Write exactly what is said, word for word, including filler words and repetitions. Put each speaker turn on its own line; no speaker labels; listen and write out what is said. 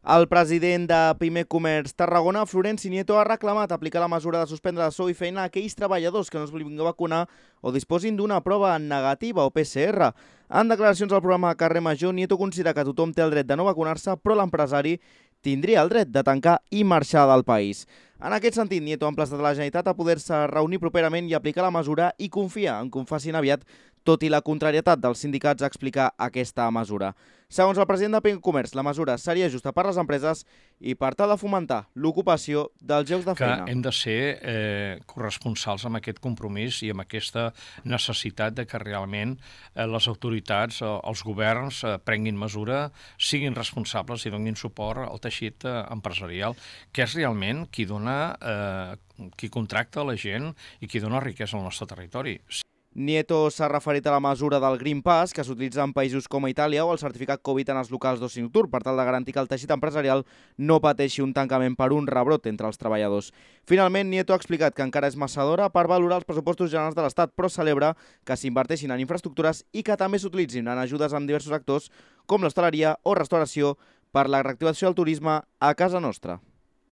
El president de Pime Comerç Tarragona, Florenci Nieto, ha reclamat aplicar la mesura de suspendre de sou i feina a aquells treballadors que no es vulguin vacunar o disposin d'una prova negativa o P C R. En declaracions al programa Carrer Major, Nieto considera que tothom té el dret de no vacunar-se, però l'empresari tindria el dret de tancar i marxar del país. En aquest sentit, Nieto ha emplaçat la Generalitat a poder-se reunir properament i aplicar la mesura i confia en que ho facin aviat, tot i la contrarietat dels sindicats a explicar aquesta mesura. Segons el president de Pime Comerç, la mesura seria justa per les empreses i per tal de fomentar l'ocupació dels llocs de feina.
Que hem de ser eh, corresponsals amb aquest compromís i amb aquesta necessitat de que realment eh, les autoritats, eh, els governs eh, prenguin mesura, siguin responsables i donin suport al teixit eh, empresarial, que és realment qui dona, eh, qui contracta la gent i qui dona riquesa al nostre territori.
Nieto s'ha referit a la mesura del Green Pass que s'utilitza en països com Itàlia o el certificat Covid en els locals d'oci nocturn per tal de garantir que el teixit empresarial no pateixi un tancament per un rebrot entre els treballadors. Finalment, Nieto ha explicat que encara és massa d'hora per valorar els pressupostos generals de l'Estat, però celebra que s'inverteixin en infraestructures i que també s'utilitzin en ajudes en diversos sectors com l'hostaleria o restauració per la reactivació del turisme a casa nostra.